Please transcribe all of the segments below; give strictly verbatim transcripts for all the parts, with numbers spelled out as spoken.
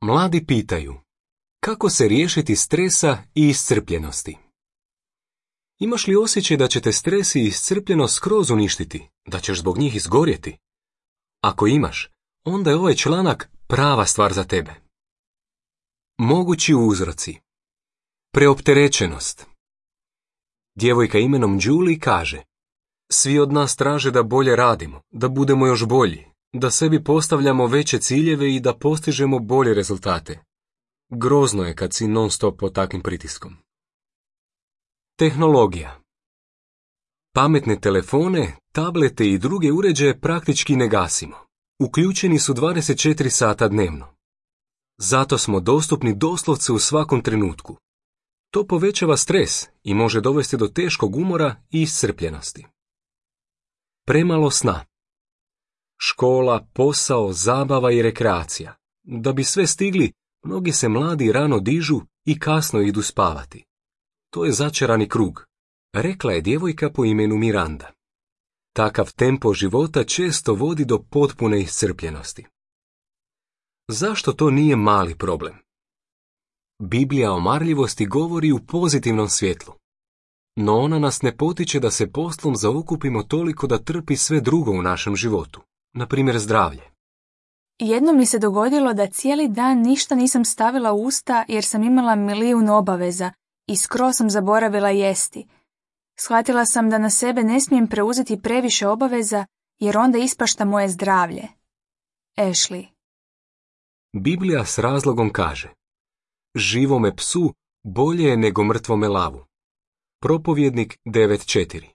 Mladi pitaju, kako se riješiti stresa i iscrpljenosti? Imaš li osjećaj da će te stres i iscrpljenost skroz uništiti, da ćeš zbog njih izgorjeti? Ako imaš, onda je ovaj članak prava stvar za tebe. Mogući uzroci. Preopterećenost. Djevojka imenom Julie kaže, svi od nas traže da bolje radimo, da budemo još bolji, da sebi postavljamo veće ciljeve i da postižemo bolje rezultate. Grozno je kad si non stop pod takvim pritiskom. Tehnologija. Pametne telefone, tablete i druge uređaje praktički ne gasimo. Uključeni su dvadeset četiri sata dnevno. Zato smo dostupni doslovce u svakom trenutku. To povećava stres i može dovesti do teškog umora i iscrpljenosti. Premalo sna. Škola, posao, zabava i rekreacija. Da bi sve stigli, mnogi se mladi rano dižu i kasno idu spavati. To je začarani krug, rekla je djevojka po imenu Miranda. Takav tempo života često vodi do potpune iscrpljenosti. Zašto to nije mali problem? Biblija o marljivosti govori u pozitivnom svjetlu. No ona nas ne potiče da se poslom zaokupimo toliko da trpi sve drugo u našem životu, na primjer zdravlje. Jednom mi se dogodilo da cijeli dan ništa nisam stavila u usta jer sam imala milijun obaveza i skroz sam zaboravila jesti. Shvatila sam da na sebe ne smijem preuzeti previše obaveza jer onda ispašta moje zdravlje. Ashley. Biblija s razlogom kaže, živome psu bolje je nego mrtvome lavu. Propovjednik devet četiri.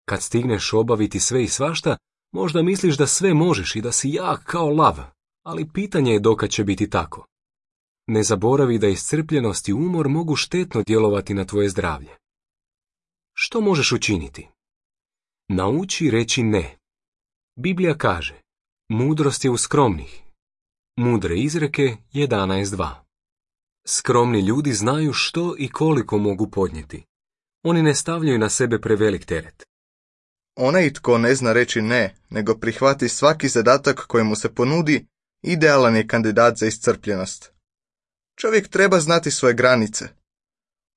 Kad stigneš obaviti sve i svašta, možda misliš da sve možeš i da si jak kao lav, ali pitanje je dokad će biti tako. Ne zaboravi da iscrpljenost i umor mogu štetno djelovati na tvoje zdravlje. Što možeš učiniti? Nauči reći ne. Biblija kaže, mudrost je u skromnih. Mudre izreke jedanaest dva. Skromni ljudi znaju što i koliko mogu podnijeti. Oni ne stavljaju na sebe prevelik teret. Onaj tko ne zna reći ne, nego prihvati svaki zadatak koji mu se ponudi, idealan je kandidat za iscrpljenost. Čovjek treba znati svoje granice.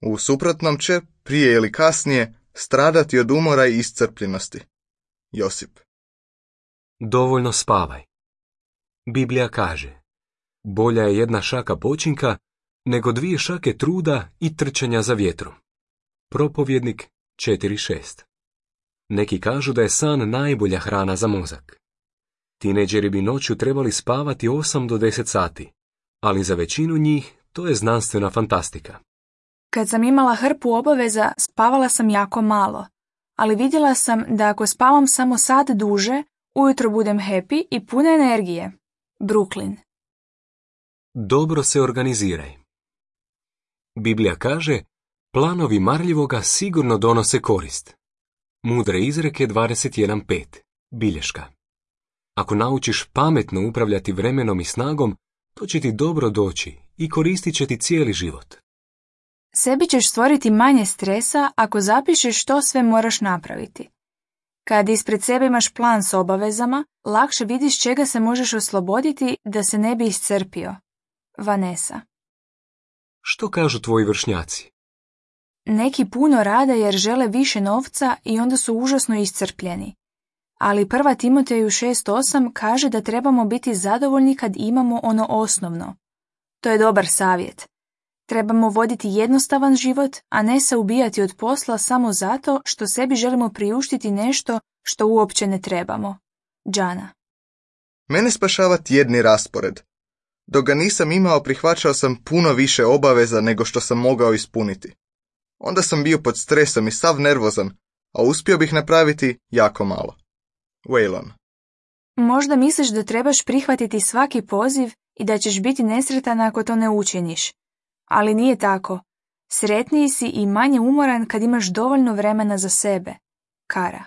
U suprotnom će, prije ili kasnije, stradati od umora i iscrpljenosti. Josip. Dovoljno spavaj. Biblija kaže, bolja je jedna šaka počinka nego dvije šake truda i trčanja za vjetrom. Propovjednik četiri šest. Neki kažu da je san najbolja hrana za mozak. Tineđeri bi noću trebali spavati osam do deset sati, ali za većinu njih to je znanstvena fantastika. Kad sam imala hrpu obaveza, spavala sam jako malo, ali vidjela sam da ako spavam samo sat duže, ujutro budem happy i puna energije. Brooklyn. Dobro se organiziraj. Biblija kaže, planovi marljivoga sigurno donose korist. Mudre izreke dvadeset jedan pet. Bilješka. Ako naučiš pametno upravljati vremenom i snagom, to će ti dobro doći i koristit će ti cijeli život. Sebi ćeš stvoriti manje stresa ako zapišeš što sve moraš napraviti. Kad ispred sebe imaš plan s obavezama, lakše vidiš čega se možeš osloboditi da se ne bi iscrpio. Vanessa. Što kažu tvoji vršnjaci? Neki puno rade jer žele više novca i onda su užasno iscrpljeni. Ali prva Timoteju šest osam kaže da trebamo biti zadovoljni kad imamo ono osnovno. To je dobar savjet. Trebamo voditi jednostavan život, a ne se ubijati od posla samo zato što sebi želimo priuštiti nešto što uopće ne trebamo. Džana. Mene spašava tjedni raspored. Dok ga nisam imao, prihvaćao sam puno više obaveza nego što sam mogao ispuniti. Onda sam bio pod stresom i sav nervozan, a uspio bih napraviti jako malo. Waylon. Možda misliš da trebaš prihvatiti svaki poziv i da ćeš biti nesretan ako to ne učiniš. Ali nije tako. Sretniji si i manje umoran kad imaš dovoljno vremena za sebe. Kara.